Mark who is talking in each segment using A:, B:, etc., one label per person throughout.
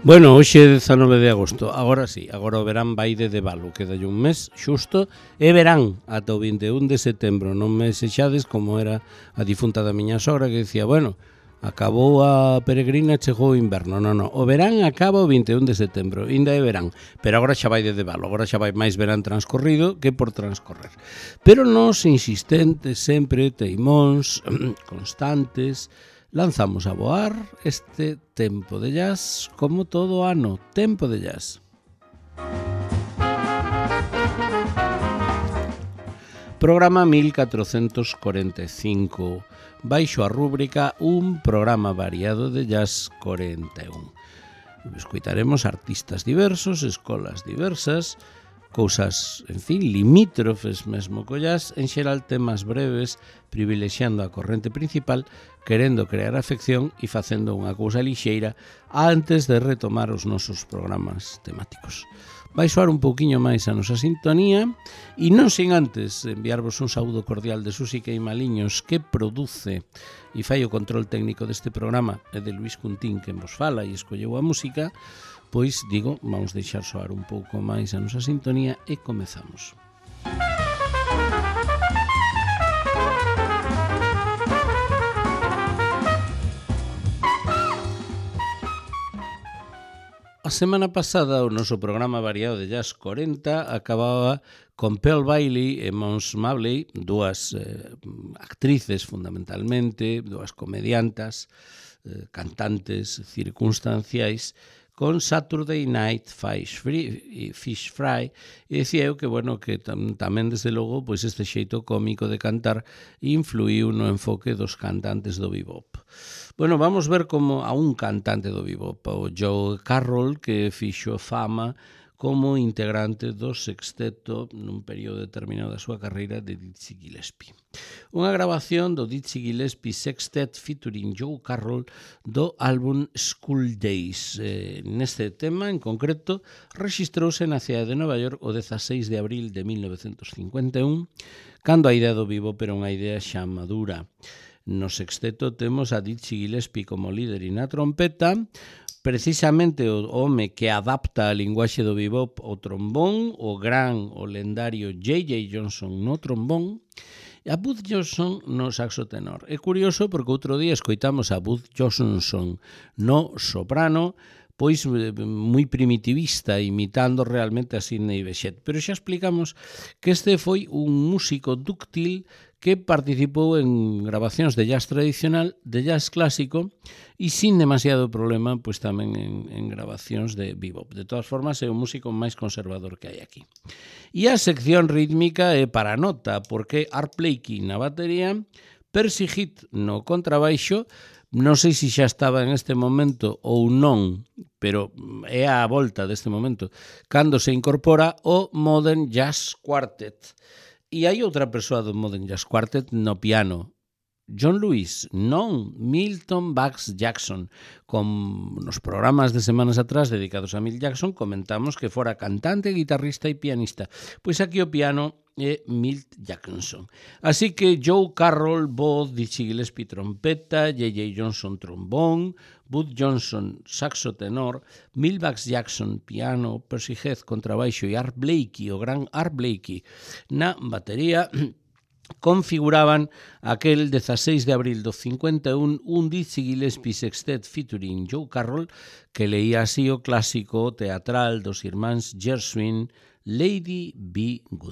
A: Bueno, hoxe é 19 de agosto, agora sí, agora o verán vai de debalo, quedalle un mes xusto, e verán ata o 21 de setembro, non me sexades como era a difunta da miña sogra que dicía, bueno, acabou a peregrina, chegou o inverno, non, o verán acaba o 21 de setembro, ainda é verán, pero agora xa vai de debalo, agora xa vai máis verán transcorrido que por transcorrer. Pero nós, insistentes, sempre, teimóns, constantes, lanzamos a voar este tempo de jazz como todo ano, tempo de jazz. Programa 1445, baixo a rúbrica Un programa variado de jazz 41. Escoitaremos artistas diversos, escolas diversas, cousas, en fin, limítrofes mesmo co jazz, en xeral temas breves, privilexiando a corrente principal, querendo crear afección e facendo unha cousa lixeira antes de retomar os nosos programas temáticos. Vai soar un pouquiño máis a nosa sintonía e non sin antes enviarvos un saúdo cordial de Susi Queimaliños que produce e fai o control técnico deste programa e de Luis Cuntín que vos fala e escolleu a música. Pois, digo, vamos deixar soar un pouco máis a nosa sintonía e comezamos. A semana pasada o noso programa variado de Jazz 40 acababa con Pearl Bailey e Mons Mabley, dúas actrices fundamentalmente, dúas comediantas, cantantes circunstanciais, con Saturday Night Fish Fry, e dicía eu que, bueno, que tamén, desde logo, pois este xeito cómico de cantar influiu no enfoque dos cantantes do bebop. Bueno, vamos ver como a un cantante do bebop, o Joe Carroll, que fixo fama como integrante do sexteto nun período determinado da súa carreira de Dizzy Gillespie. Unha grabación do Dizzy Gillespie Sextet featuring Joe Carroll do álbum School Days. Neste tema, en concreto, rexistrouse na cidade de Nova York o 16 de abril de 1951, cando a idea do bebop era unha idea xa madura. No sexteto temos a Dizzy Gillespie como líder e na trompeta, precisamente o home que adapta a linguaxe do bebop o trombón, o lendario J.J. Johnson no trombón, e a Bud Johnson no saxo tenor. É curioso porque outro día escoitamos a Bud Johnson no soprano, pois moi primitivista, imitando realmente a Sidney Bechet. Pero xa explicamos que este foi un músico dúctil que participou en grabacións de jazz tradicional, de jazz clásico e sin demasiado problema, pois tamén en grabacións de bebop. De todas formas, é o músico máis conservador que hai aquí. E a sección rítmica é para nota, porque Art Blakey na batería, Percy Heath no contrabaixo, non sei se xa estaba en este momento ou non, pero é a volta deste momento, cando se incorpora o Modern Jazz Quartet. E hai outra persoa do Modern Jazz Quartet no piano, John Lewis, non Milton Bax Jackson. Con nos programas de semanas atrás dedicados a Milt Jackson comentamos que fora cantante, guitarrista e pianista. Pois aquí o piano é Milt Jackson. Así que Joe Carroll, voz, Dizzy Gillespie trompeta, J.J. Johnson trombón, Bud Johnson saxo tenor, Milt Bax Jackson piano, Percy Heath contrabaixo e Art Blakey, o gran Art Blakey, na batería, configuraban aquel 16 de abril do 51 un Dizzy Gillespie Sextet featuring Joe Carroll que leía así o clásico teatral dos irmáns Gershwin, Lady Be Good.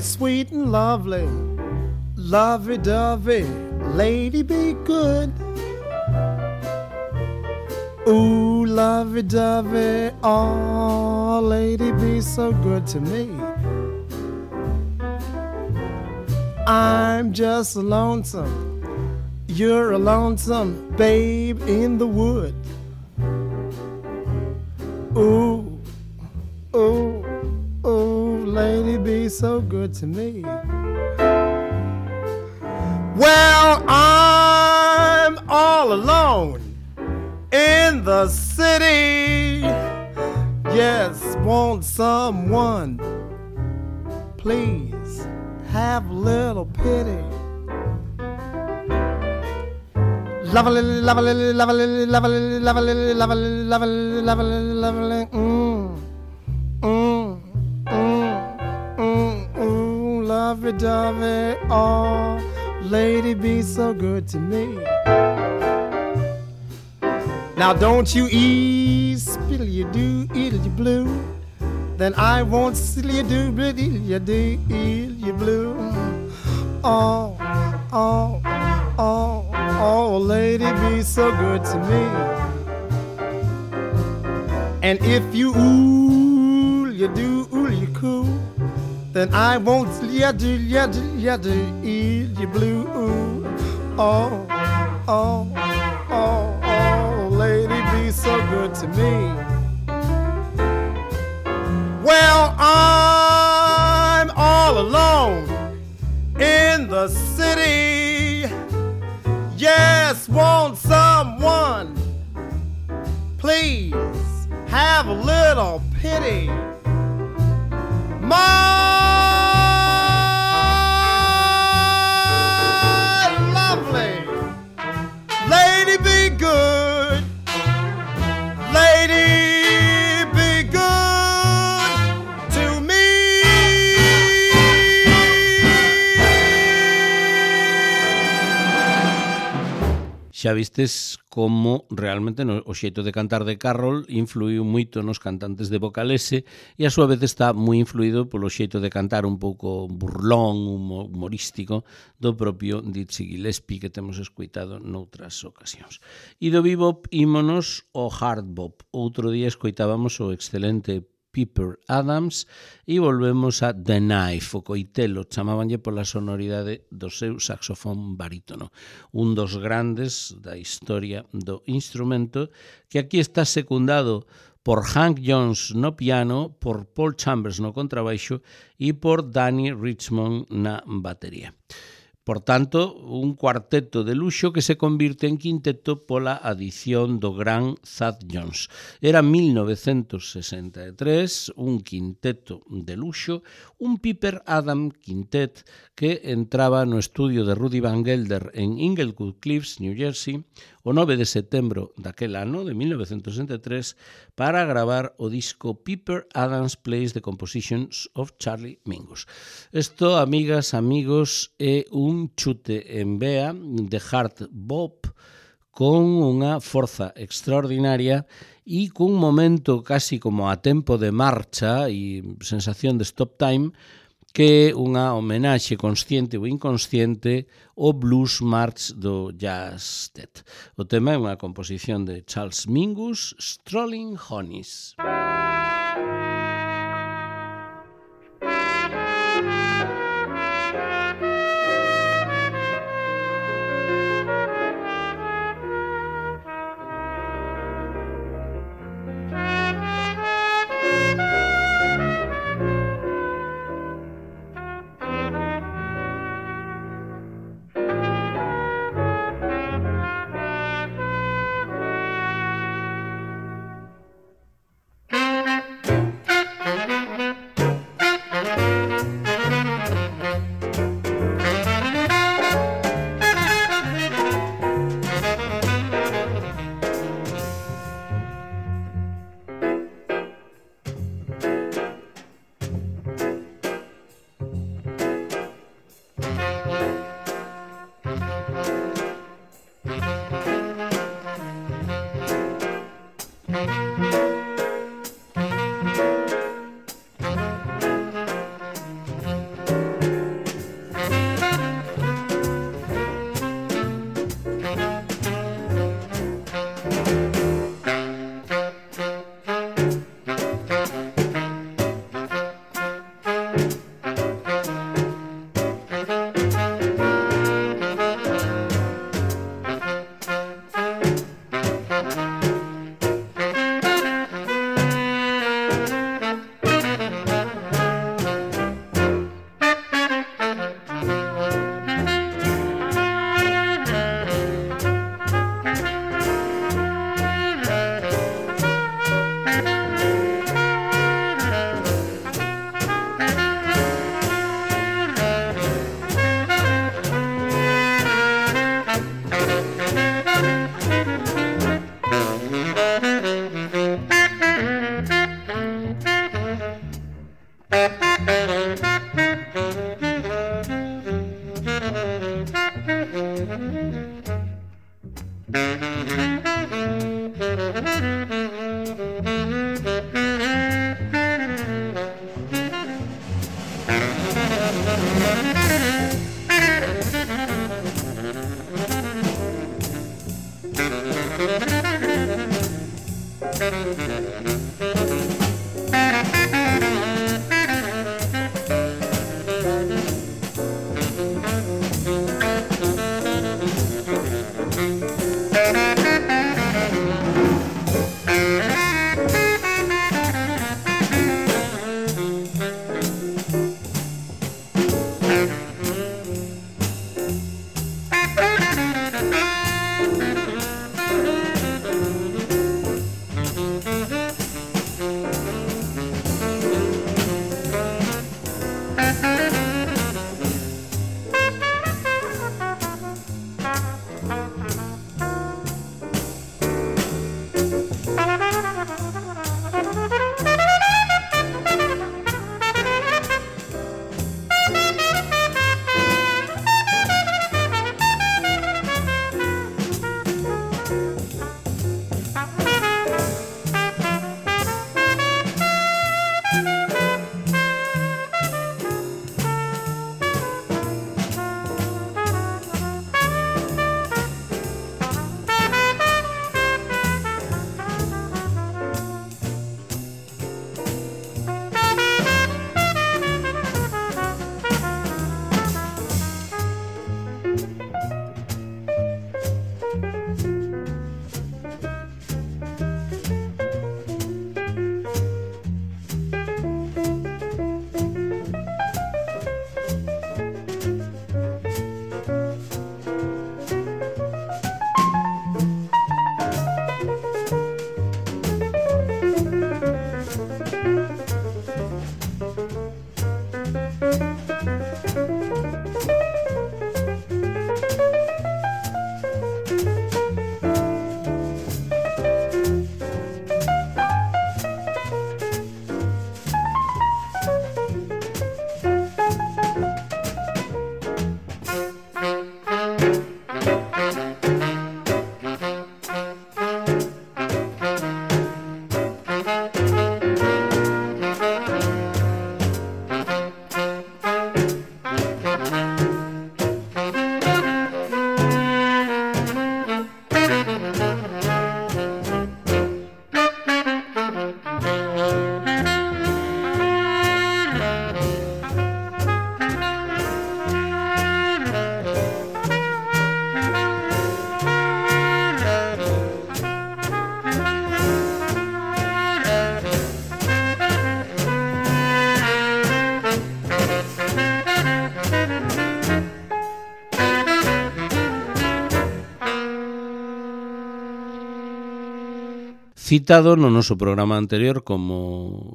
B: Sweet and lovely, lovey-dovey, lady be good. Ooh, lovey-dovey, oh, lady be so good to me. I'm just lonesome, you're a lonesome babe in the wood. Ooh, ooh, ooh, lady be so good to me. Well, I'm all alone in the city. Yes, won't someone please have a little pity? Lovely, lovely, lovely, lovely, lovely, lovely, lovely, lovely, lovely, lovey-dovey, oh, lady, be so good to me. Now don't you spill you do, you blue. Then I won't spill you do, but you do, you blue. Oh, oh, oh, oh, lady, be so good to me. And if you you do, you cool, then I won't you do, you blue. Oh, oh, oh, oh, lady, be so good to me. Well, I'm all alone in the city. Yes, won't someone please have a little pity? My lovely lady, be good. Lady, be good to me.
A: Xa vistes como realmente o xeito de cantar de Carroll influiu moito nos cantantes de Vocalese e a súa vez está moi influído polo xeito de cantar un pouco burlón, humorístico do propio Dizzy Gillespie que temos escoitado noutras ocasións. E do bebop ímonos ao hard bop. Outro día escoitábamos o excelente Pepper Adams e volvemos a The Knife, o coitelo, chamabanlle pola sonoridade do seu saxofón barítono, un dos grandes da historia do instrumento, que aquí está secundado por Hank Jones no piano, por Paul Chambers no contrabaixo e por Danny Richmond na batería. Por tanto, un cuarteto de luxo que se convirte en quinteto pola adición do gran Thad Jones. Era 1963, un quinteto de luxo, un Pepper Adams Quintet que entraba no estudio de Rudy Van Gelder en Inglewood Cliffs, New Jersey, o 9 de setembro daquel ano, de 1963, para gravar o disco Pepper Adams Plays the Compositions of Charlie Mingus. Isto, amigas, amigos, é un chute en vea de hard bop con unha forza extraordinaria e cun momento casi como a tempo de marcha e sensación de stop time que é unha homenaxe consciente ou inconsciente ao blues march do Jazz Dead. O tema é unha composición de Charles Mingus, Strolling Honeys. Citado no noso programa anterior como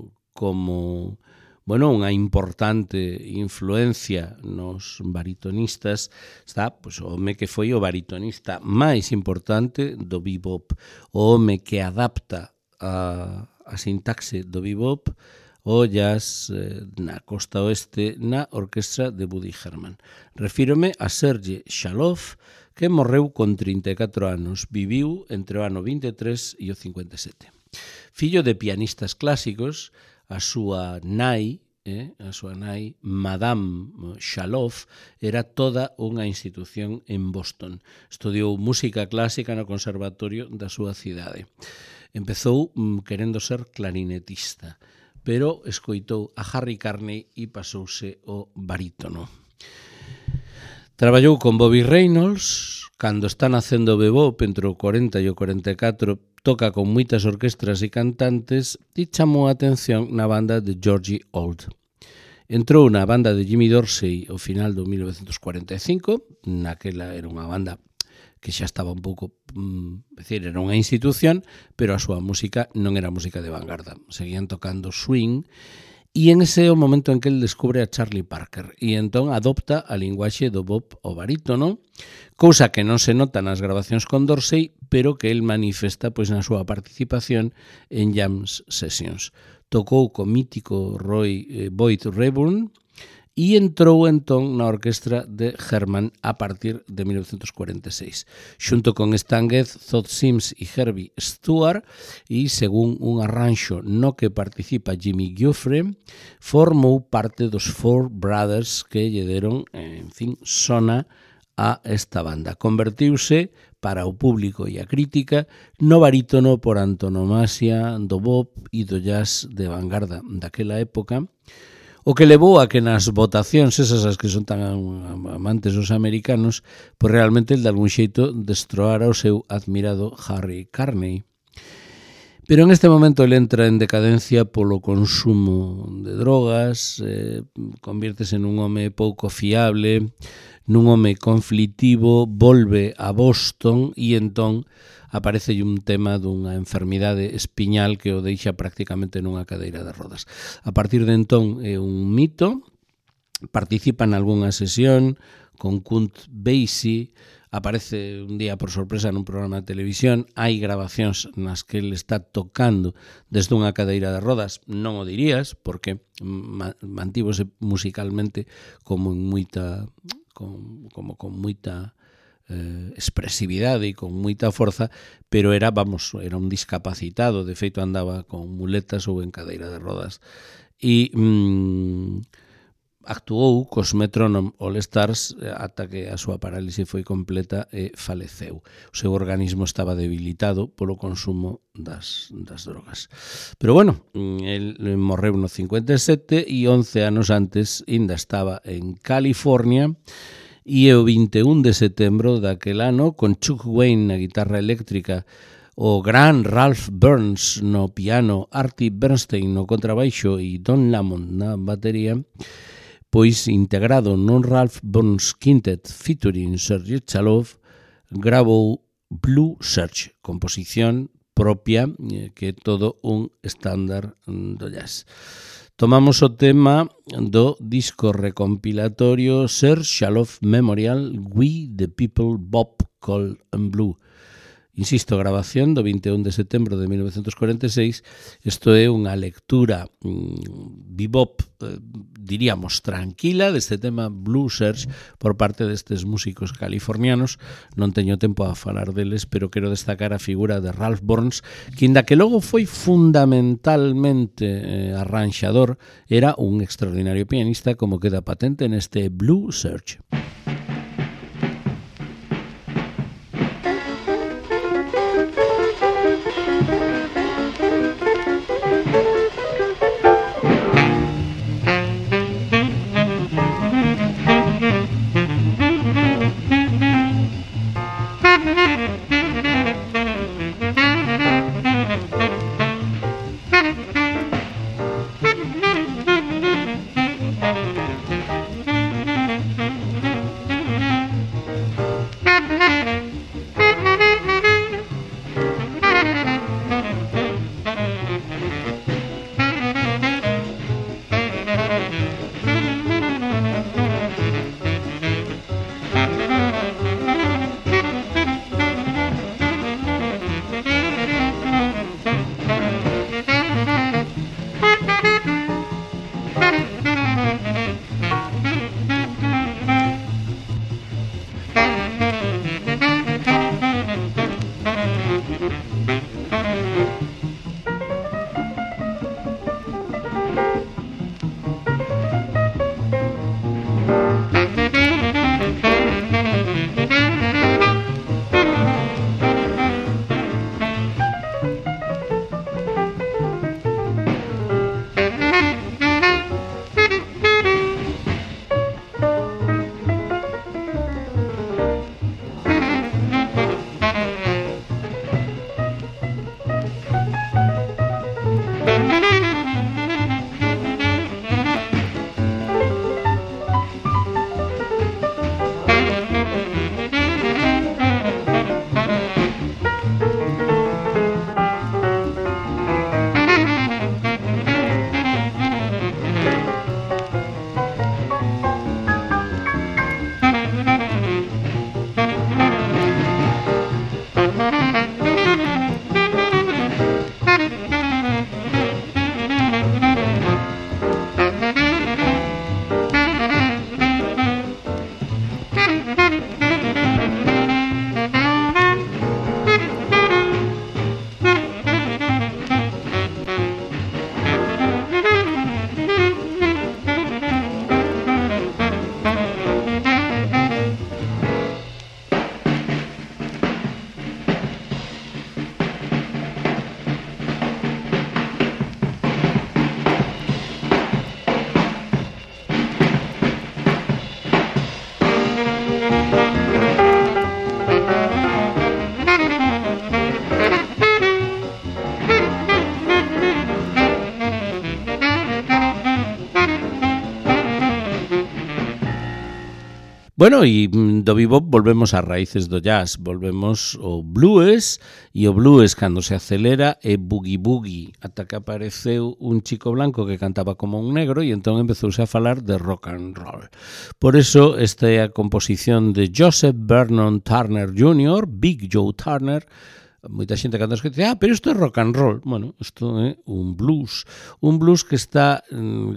A: bueno, unha importante influencia nos baritonistas está pois, o home que foi o baritonista máis importante do bebop, o home que adapta a sintaxe do bebop o jazz na costa oeste na orquestra de Woody Herman. Refírome a Sergei Shalov, que morreu con 34 anos, viviu entre o ano 23 e o 57. Fillo de pianistas clásicos, a súa nai, Madame Shalov, era toda unha institución en Boston. Estudiou música clásica no conservatorio da súa cidade. Empezou querendo ser clarinetista, pero escoitou a Harry Carney e pasouse ao barítono. Traballou con Bobby Reynolds, cando está nacendo o bebop entre o 40 e o 44, toca con moitas orquestras e cantantes e chamou a atención na banda de Georgie Old. Entrou na banda de Jimmy Dorsey ao final do 1945, naquela era unha banda que xa estaba un pouco, era unha institución, pero a súa música non era música de vanguarda, seguían tocando swing. E en ese é o momento en que el descubre a Charlie Parker e entón adopta a linguaxe do bop ao barítono, cousa que non se nota nas grabacións con Dorsey, pero que el manifesta pois na súa participación en jam sessions. Tocou co mítico Boyd Reburn e entrou entón na orquestra de Herman a partir de 1946, xunto con Stan Getz, Todd Sims e Herbie Stewart, e según un arranxo no que participa Jimmy Giuffre, formou parte dos Four Brothers que lle deron, en fin, sona a esta banda. Convertiuse para o público e a crítica no barítono por antonomasia do bop e do jazz de vanguarda daquela época, o que levou a que nas votacións, esas as que son tan amantes os americanos, pois realmente el de algún xeito destroara o seu admirado Harry Carney. Pero en este momento ele entra en decadencia polo consumo de drogas, convírtese nun home pouco fiable, nun home conflitivo, volve a Boston e entón aparece un tema dunha enfermidade espiñal que o deixa prácticamente nunha cadeira de rodas. A partir de entón é un mito, participa en algunha sesión con Count Basie, aparece un día por sorpresa nun programa de televisión, hai grabacións nas que ele está tocando desde unha cadeira de rodas, non o dirías, porque mantívose musicalmente como con moita expresividade e con moita forza, pero era un discapacitado, de feito andaba con muletas ou en cadeira de rodas, e actuou cos Metronome All Stars ata que a súa parálise foi completa e faleceu. O seu organismo estaba debilitado polo consumo das drogas. Pero bueno, el morreu no 57 e 11 anos antes ainda estaba en California, e o 21 de setembro daquel ano, con Chuck Wayne na guitarra eléctrica, o gran Ralph Burns no piano, Artie Bernstein no contrabaixo e Don Lamont na batería, pois integrado non Ralph Burns Quintet featuring Sergei Chalov, gravou Blue Search, composición propia que é todo un estándar do jazz. Tomamos o tema do disco recompilatorio Serge Chalov Memorial We the People Bop Gold and Blue. Insisto, grabación do 21 de setembro de 1946. Isto é unha lectura bebop, diríamos, tranquila deste tema Blue Search por parte destes músicos californianos. Non teño tempo a falar deles, pero quero destacar a figura de Ralph Burns, que inda que logo foi fundamentalmente arranxador, era un extraordinario pianista, como queda patente neste Blue Search. Bueno, e do bebop volvemos ás raíces do jazz, volvemos ao blues, e o blues cando se acelera é boogie-boogie, ata que apareceu un chico blanco que cantaba como un negro e entón empezouse a falar de rock and roll. Por eso, esta é a composición de Joseph Vernon Turner Jr., Big Joe Turner. Moita xente cando escoita dice, pero isto é rock and roll. Bueno, isto é un blues que está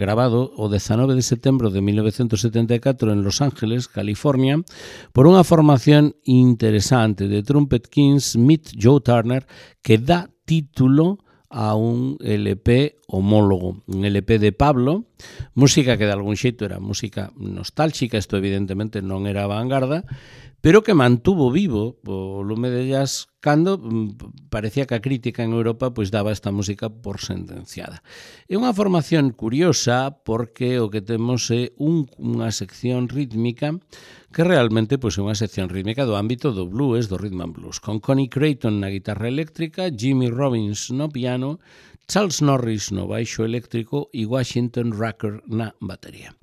A: grabado o 19 de setembro de 1974 en Los Ángeles, California, por unha formación interesante de Trumpet Kings Meet Joe Turner que dá título a un LP homólogo, un LP de Pablo, música que de algún xeito era música nostálxica, isto evidentemente non era vanguarda, pero que mantuvo vivo o lume de jazz cando parecía que a crítica en Europa pois daba esta música por sentenciada. É unha formación curiosa porque o que temos é unha sección rítmica que realmente pois é unha sección rítmica do ámbito do blues, do rhythm and blues, con Connie Creighton na guitarra eléctrica, Jimmy Robbins no piano, Charles Norris no baixo eléctrico e Washington Rucker na batería.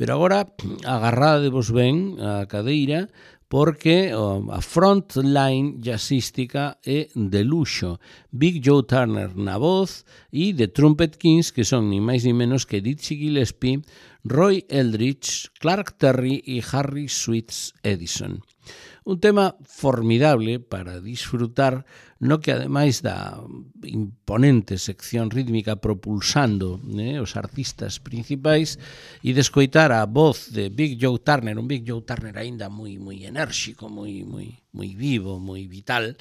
A: Pero agora agarradevos ben a cadeira porque a frontline jazzística é de luxo. Big Joe Turner na voz e The Trumpet Kings, que son ni máis ni menos que Dizzy Gillespie, Roy Eldridge, Clark Terry e Harry Sweets Edison. Un tema formidable para disfrutar, no que ademais da imponente sección rítmica propulsando os artistas principais e de escoitar a voz de Big Joe Turner, un Big Joe Turner aínda moi enérxico, moi vivo, moi vital,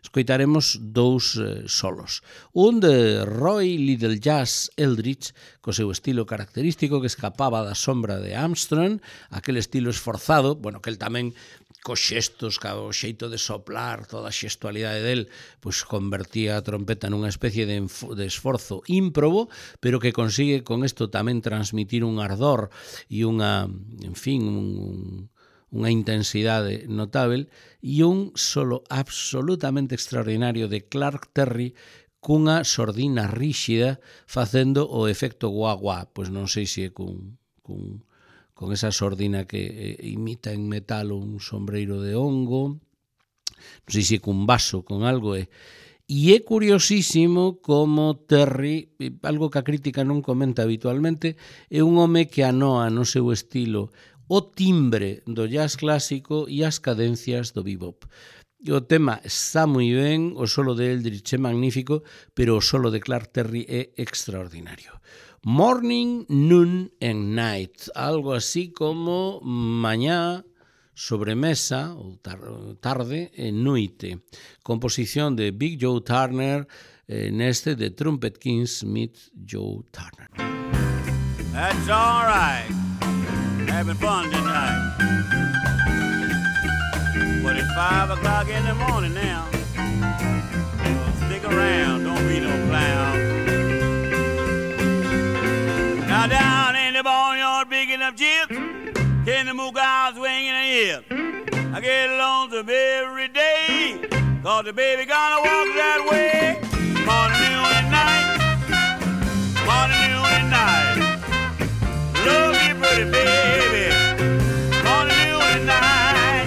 A: escoitaremos dous solos. Un de Roy Little Jazz Eldridge, co seu estilo característico que escapaba da sombra de Armstrong, aquel estilo esforzado, bueno, que el tamén cos xestos, co xeito de soplar, toda a xestualidade del, pois convertía a trompeta nunha especie de esforzo ímprobo, pero que consigue con isto tamén transmitir un ardor e unha, en fin, unha intensidade notable, e un solo absolutamente extraordinario de Clark Terry cunha sordina ríxida facendo o efecto guá-guá, pois non sei se é con esa sordina que imita en metal un sombreiro de hongo, non sei se cun vaso, con algo, e é curiosísimo como Terry, algo que a crítica non comenta habitualmente, é un home que anoa no seu estilo o timbre do jazz clásico e as cadencias do bebop. O tema está moi ben, o solo de Eldridge é magnífico, pero o solo de Clark Terry é extraordinario. Morning, Noon and Night, algo así como mañá, sobremesa, ou tarde e noite. Composición de Big Joe Turner neste de Trumpet Kings Meet Joe Turner.
C: That's all right, having fun tonight. But it's 5 o'clock in the morning now. Stick around, don't be no clown. Now down in the barnyard picking up chips, can the mook owls swinging a hip. I get lonesome every day, cause the baby gonna walk that way. Morning, noon, and night. Morning, noon, and night. Love you, pretty baby. Morning, noon, and night.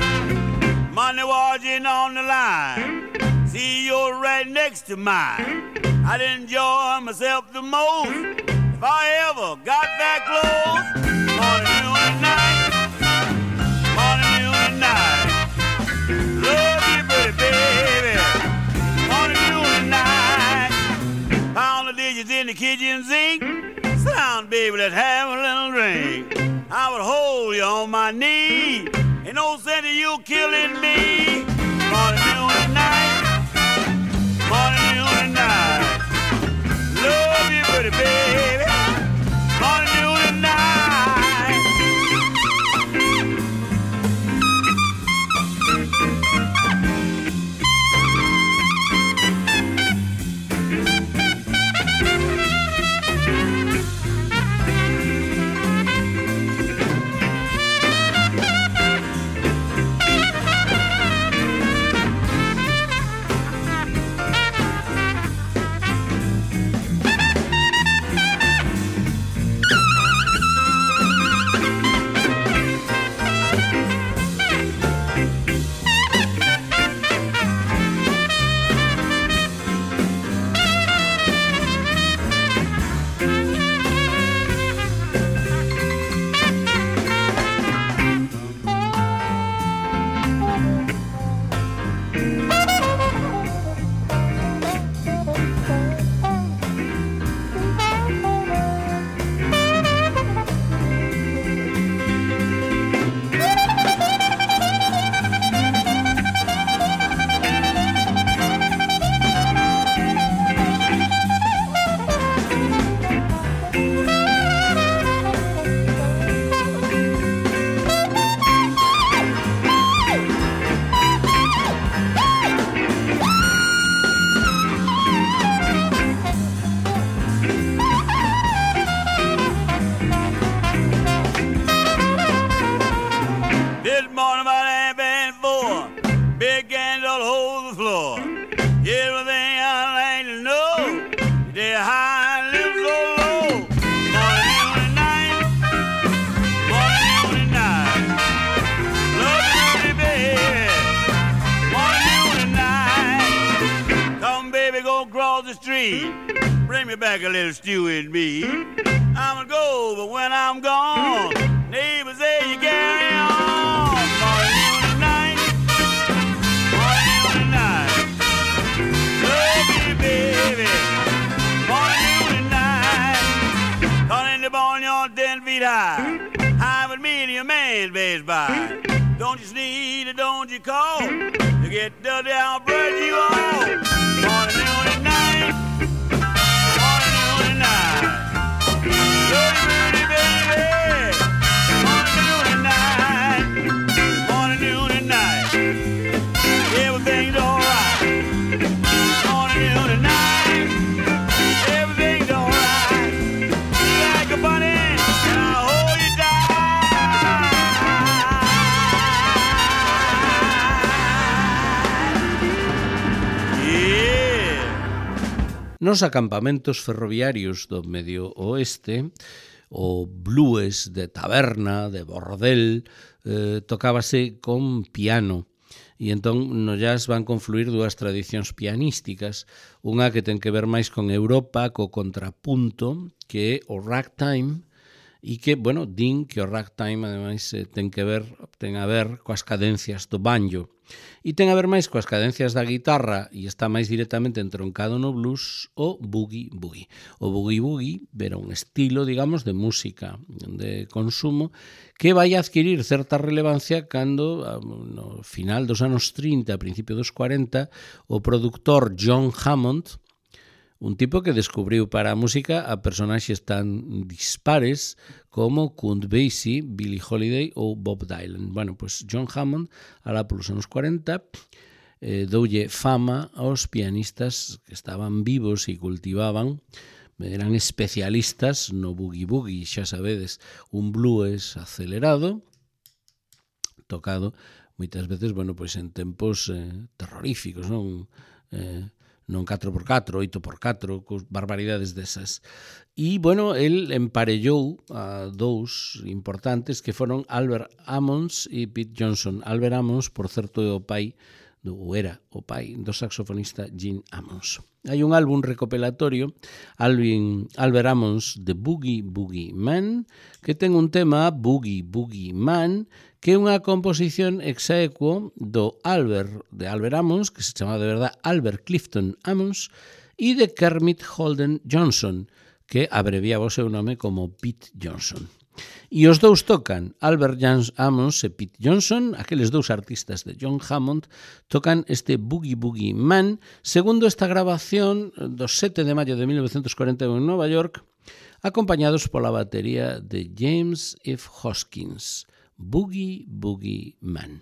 C: Money watching on the line. See, you're right next to mine. I'd enjoy myself the most if I ever got that close. Morning, noon, and night. Morning, noon, and night. Love you, pretty baby. Morning, noon, and night. Pound the dishes in the kitchen sink. Sound, baby, let's have a little drink. I would hold you on my knee. Ain't no sense of you killing me. Morning, noon, and night. Morning, noon, and night. Love you, pretty baby. Morning, noon, and night. This morning about 4:30, big candle hold the floor. Everything I like to know, they're high and live so low. Morning, noon, and night. Morning, noon, and night. Love you, baby. Morning, noon, and night. Come, baby, go across the street. Bring me back a little stew and meat. I'ma go, but when I'm gone, neighbors say you carry on. Morning, noon, and night. Morning, noon, and night. Love you, baby. Morning, noon, and night. Calling the barnyard 10 feet high. High with me and your man pass by. Don't you sneeze or don't you call. You get dirty, I'll brush you off. Morning, noon, and night. Morning, noon, and night. Love you, baby. Morning, noon, and night. Morning, noon, and night. Everything's alright. Morning, noon, and night. Everything's alright. You like a bunny, and I'll hold you tight. Yeah.
A: Nos acampamentos ferroviarios do medio oeste, o blues de taberna, de bordel, tocábase con piano. E entón no jazz van confluir dúas tradicións pianísticas, unha que ten que ver máis con Europa, co contrapunto, que é o ragtime, e que, bueno, din que o ragtime, ademais, ten a ver coas cadencias do banjo. E ten a ver máis coas cadencias da guitarra e está máis directamente entroncado no blues o boogie-boogie. O boogie-boogie era un estilo, digamos, de música de consumo que vai adquirir certa relevancia cando, no final dos anos 30, a principio dos 40, o produtor John Hammond, un tipo que descubriu para a música a personaxes tan dispares como Count Basie, Billie Holiday ou Bob Dylan. Bueno, pues John Hammond, alá polos anos 40, doulle fama aos pianistas que estaban vivos e cultivaban, eran especialistas no boogie-boogie, xa sabedes, un blues acelerado, tocado moitas veces, bueno, pois en tempos terroríficos, non? Non 4x4, 8x4, cos barbaridades desas. E, bueno, el emparellou a dous importantes que foron Albert Ammons e Pete Johnson. Albert Ammons, por certo, é o pai, ou era o pai, do saxofonista Gene Ammons. Hai un álbum recopilatorio, Albert Ammons, The Boogie Boogie Man, que ten un tema, Boogie Boogie Man, que é unha composición exequo de Albert Ammons, que se chama de verdad Albert Clifton Ammons, e de Kermit Holden Johnson, que abreviaba o seu nome como Pete Johnson. E os dous tocan, Albert Ammons e Pete Johnson, aqueles dous artistas de John Hammond, tocan este Boogie Boogie Man, segundo esta grabación do 7 de maio de 1941 en Nova York, acompañados pola batería de James F. Hoskins. Boogie Boogie Man.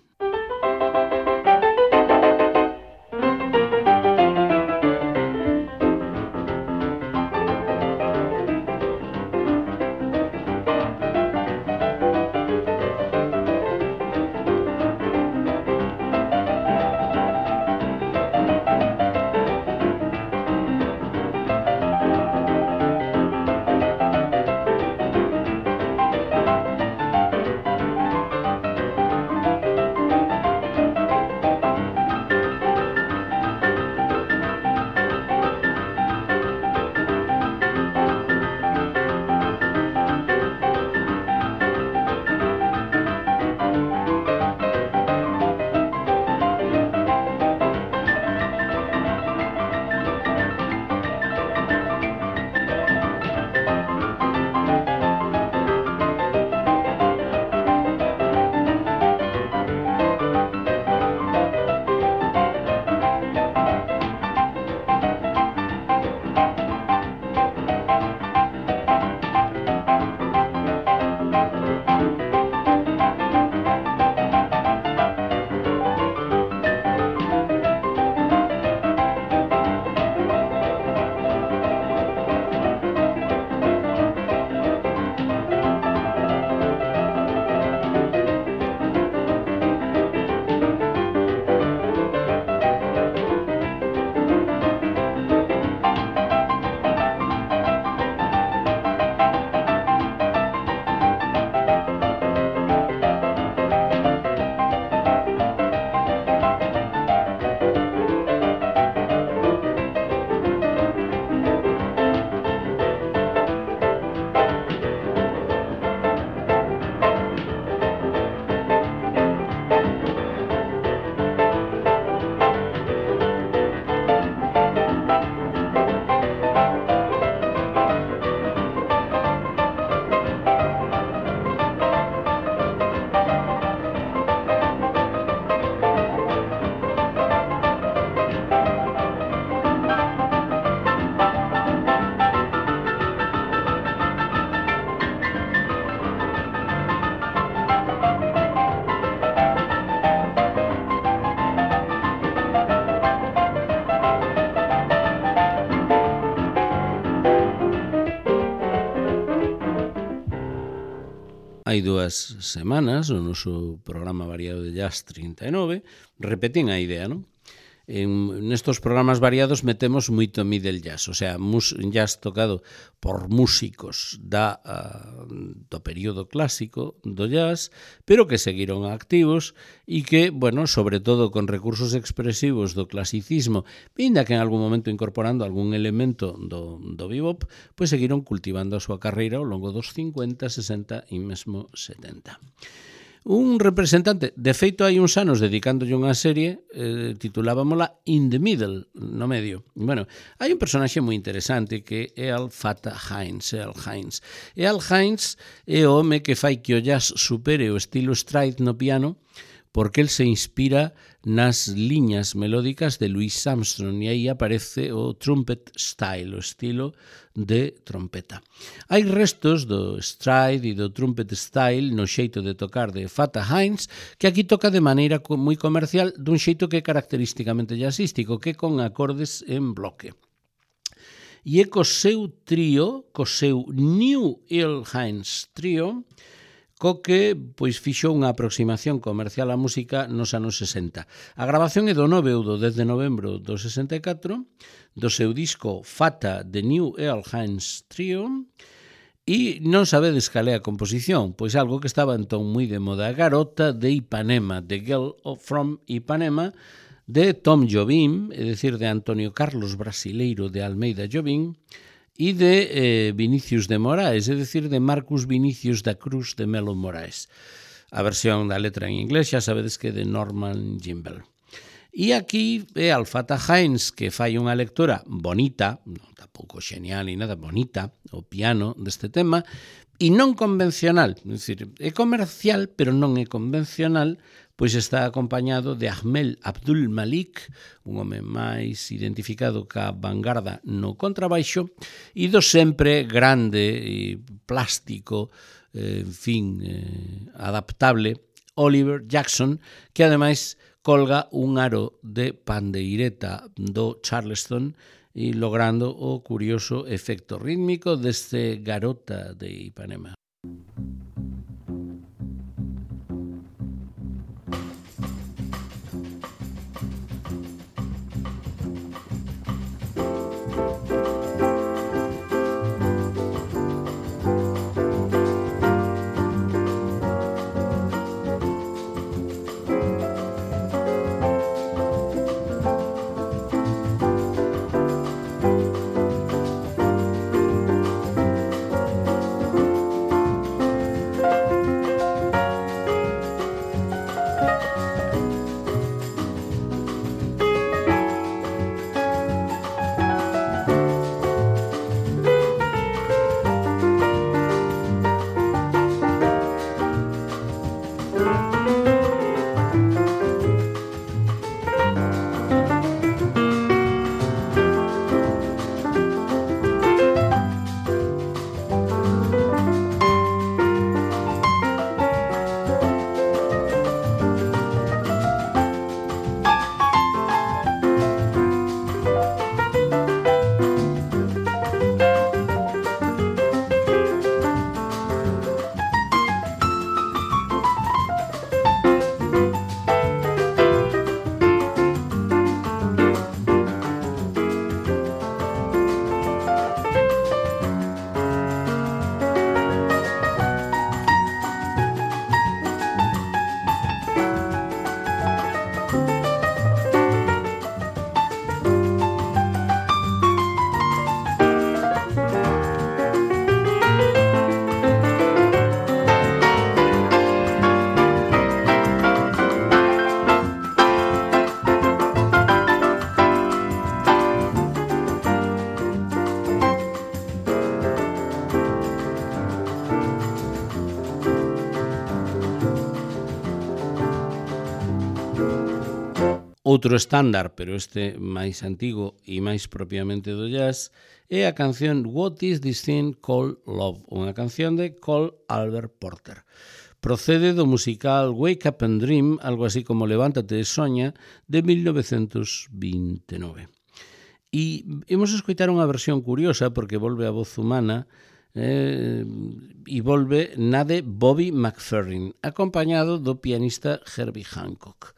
A: hai 2 semanas, no noso programa variado de Jazz 39, repetín a idea, non? Nestos programas variados metemos moito middle jazz, o sea, jazz tocado por músicos do período clásico do jazz, pero que seguiron activos e que, bueno, sobre todo con recursos expresivos do clasicismo, ainda que en algún momento incorporando algún elemento do bebop, pois seguiron cultivando a súa carreira ao longo dos 50, 60 e mesmo 70. Un representante, de feito hai uns anos dedicándolle unha serie, titulábamola In the Middle, no medio. Bueno, hai un personaxe moi interesante que é Al Fatah Hines. Al Hines é o home que fai que o jazz supere o estilo stride no piano, porque el se inspira nas liñas melódicas de Louis Armstrong e aí aparece o trumpet style, o estilo de trompeta. Hai restos do stride e do trumpet style no xeito de tocar de Fatah Hines, que aquí toca de maneira moi comercial dun xeito que é característicamente jazzístico, que é con acordes en bloque. E é co seu trío, co seu New Earl Hines Trio, co que pois fixo unha aproximación comercial á música nos anos 60. A grabación é do 9 ou do 10 de novembro do 64, do seu disco Fatah The New Earl Hines Trio, e non sabedes cal é a composición, pois algo que estaba entón moi de moda, Garota de Ipanema, The Girl from Ipanema, de Tom Jobim, é dicir, de Antonio Carlos Brasileiro de Almeida Jobim, e de Vinicius de Moraes, é dicir, de Marcus Vinicius da Cruz de Melo Moraes. A versión da letra en inglés xa sabedes que é de Norman Gimbel. E aquí é Al Fatah Hines que fai unha lectura bonita, non tampouco genial ni nada, bonita, o piano deste tema, e non convencional, é dicir, é comercial, pero non é convencional, pois está acompañado de Ahmed Abdul Malik, un home máis identificado ca vanguarda no contrabaixo, e do sempre grande e plástico, adaptable, Oliver Jackson, que ademais colga un aro de pandeireta do Charleston e logrando o curioso efecto rítmico deste Garota de Ipanema. Outro estándar, pero este máis antigo e máis propiamente do jazz, é a canción What is this thing called love, unha canción de Cole Albert Porter. Procede do musical Wake Up and Dream, algo así como Levántate e soña, de 1929. E imos escoitar unha versión curiosa porque volve a voz humana e volve na de Bobby McFerrin, acompañado do pianista Herbie Hancock.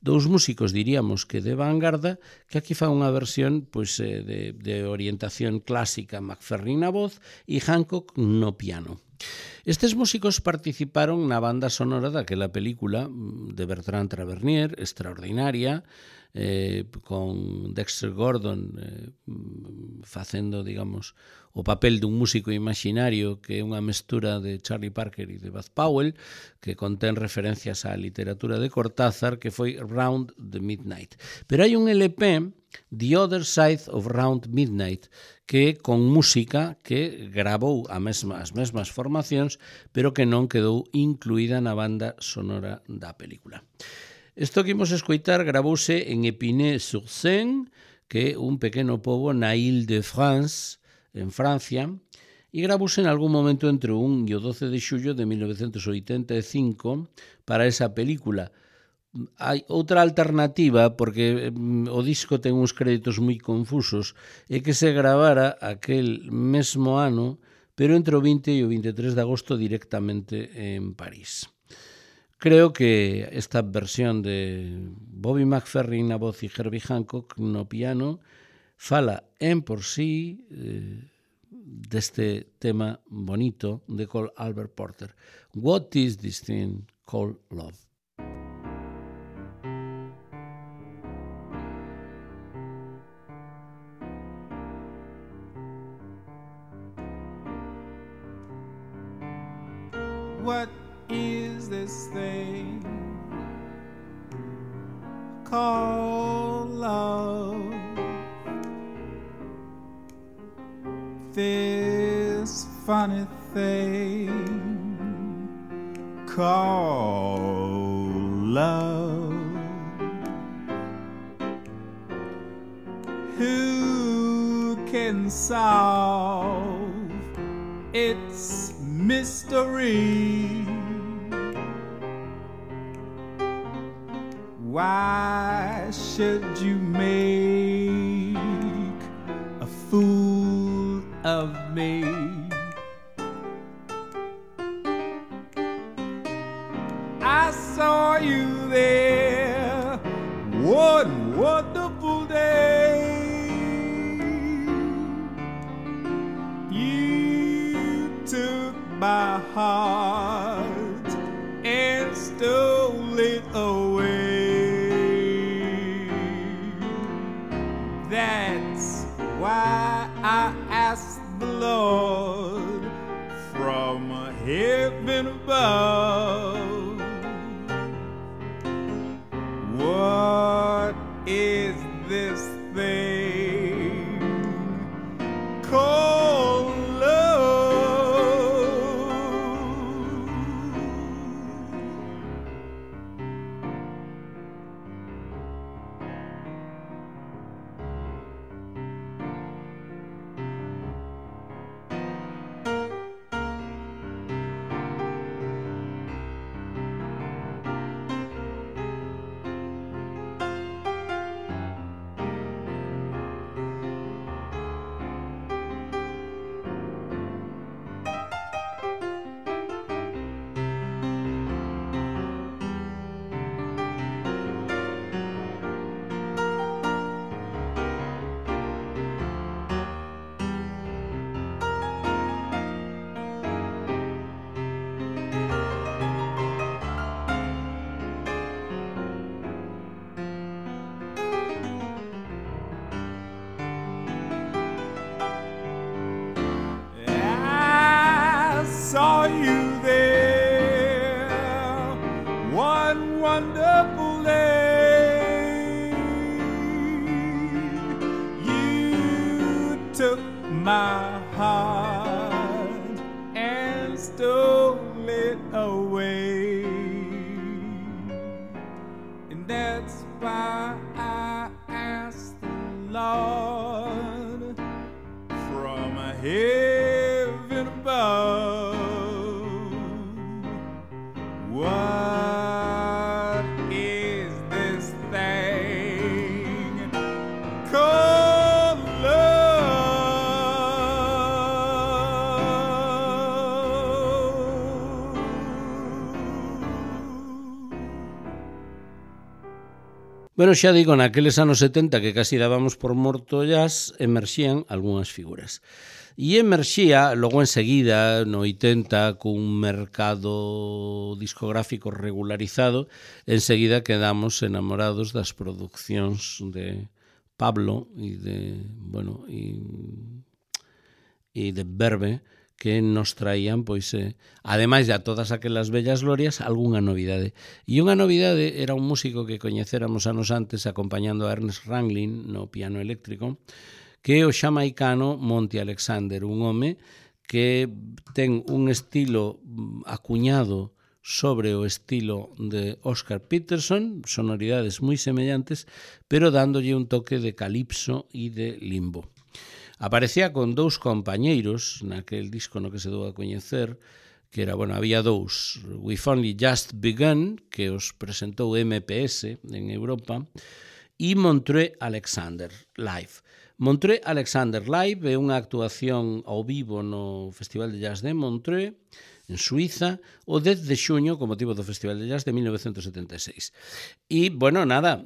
A: Dous músicos, diríamos que de vanguarda, que aquí fa unha versión pois, de orientación clásica, McFerrin na voz e Hancock no piano. Estes músicos participaron na banda sonora daquela película de Bertrand Tavernier, extraordinaria, con Dexter Gordon facendo, digamos, o papel dun músico imaginario que é unha mestura de Charlie Parker e de Bud Powell, que contén referencias á literatura de Cortázar, que foi Round the Midnight. Pero hai un LP, The Other Side of Round Midnight, que con música que gravou as mesmas formacións, pero que non quedou incluída na banda sonora da película. Isto que imos escoitar gravouse en Épinay-sur-Seine, que é un pequeno pobo na Île-de-France, en Francia, e gravouse en algún momento entre o 1 e o 12 de xullo de 1985 para esa película. Hai outra alternativa, porque o disco ten uns créditos moi confusos, é que se gravara aquel mesmo ano, pero entre o 20 e o 23 de agosto directamente en París. Creo que esta versión de Bobby McFerrin na voz e Herbie Hancock no piano fala en por sí deste tema bonito de Cole Albert Porter. What is this thing called love?
B: What is this thing called love? This funny thing called love. Who can solve its mystery? Why should you make a fool of me? I saw you there one wonderful day. You took my heart and stole it away. That's why I asked the Lord from heaven above, what is this thing called love? Saw you there one wonderful day. You took my heart and stole it away, and that's why I asked the Lord from heaven above, what is this thing called love?
A: Bueno, xa digo, naqueles anos 70 que casi dábamos por morto jazz, emerxían algunhas figuras. E emerxía, logo enseguida, no 80, cun mercado discográfico regularizado, enseguida quedamos enamorados das produccións de Pablo e de, bueno, e de Verbe, que nos traían, pois, ademais de a todas aquelas bellas glorias, algunha novidade. E unha novidade era un músico que coñecéramos anos antes acompañando a Ernest Ranglin no piano eléctrico, que é o xamaicano Monty Alexander, un home que ten un estilo acuñado sobre o estilo de Oscar Peterson, sonoridades moi semellantes, pero dándolle un toque de calipso e de limbo. Aparecía con dous compañeiros naquel disco no que se dou a coñecer, que era, bueno, había dous, We've Only Just Begun, que os presentou MPS en Europa, e Montreux Alexander Live. Montreux Alexander Live é unha actuación ao vivo no Festival de Jazz de Montreux, en Suiza, o 10 de xuño, con motivo do Festival de Jazz de 1976. E, bueno, nada,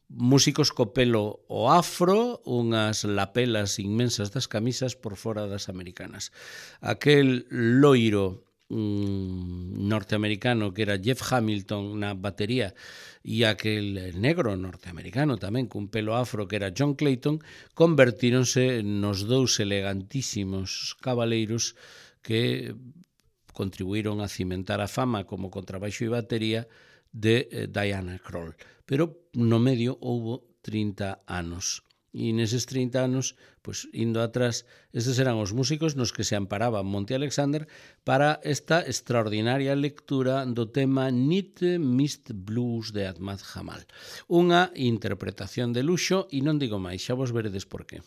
A: músicos co pelo o afro, unhas lapelas inmensas das camisas por fora das americanas. Aquel loiro norteamericano que era Jeff Hamilton na batería e aquel negro norteamericano tamén cun pelo afro que era John Clayton convertíronse nos dous elegantísimos cabaleiros que contribuíron a cimentar a fama como contrabaixo e batería de Diana Krall. Pero no medio houbo 30 anos. E neses 30 anos, pois, indo atrás, estes eran os músicos nos que se amparaba Monty Alexander para esta extraordinaria lectura do tema Night Mist Blues de Ahmad Jamal. Unha interpretación de luxo e non digo máis, xa vos veredes por qué.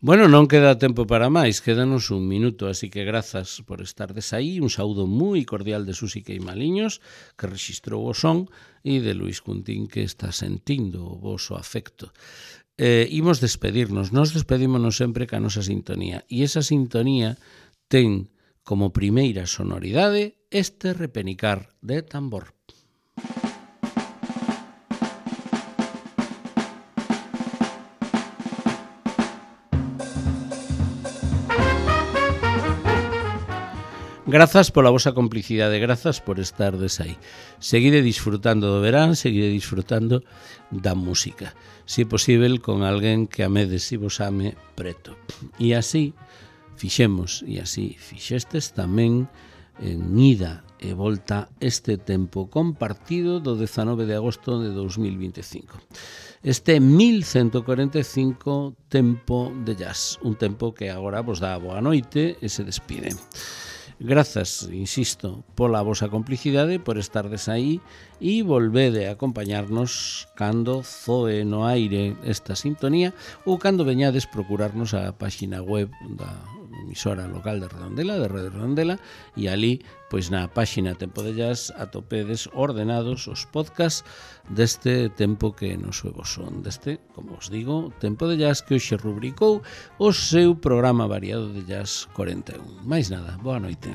A: Bueno, non queda tempo para máis, quédanos un minuto, así que grazas por estardes aí. Un saúdo moi cordial de Susi Queimaliños, que registrou o son, e de Luis Cuntín, que está sentindo o voso afecto. Imos despedirnos, nos despedímonos sempre ca nosa sintonía, e esa sintonía ten como primeira sonoridade este repenicar de tambor. Grazas pola vosa complicidade, grazas por estardes aí. Seguide disfrutando do verán, seguide disfrutando da música. Se é posible, con alguén que amedes e vos ame preto. E así fixemos, e así fixestes tamén en ida e volta este tempo compartido do 19 de agosto de 2025. Este 1145 tempo de jazz, un tempo que agora vos dá a boa noite e se despide. Grazas, insisto, pola vosa complicidade, por estardes aí e volvede a acompañarnos cando zoe no aire esta sintonía ou cando veñades procurarnos a páxina web da emisora local de Redondela, de Radio Redondela, e ali, pois na páxina Tempo de Jazz atopedes ordenados os podcasts deste tempo que nos vos son, deste, como os digo, Tempo de Jazz, que hoxe rubricou o seu programa variado de Jazz 41. Mais nada, boa noite.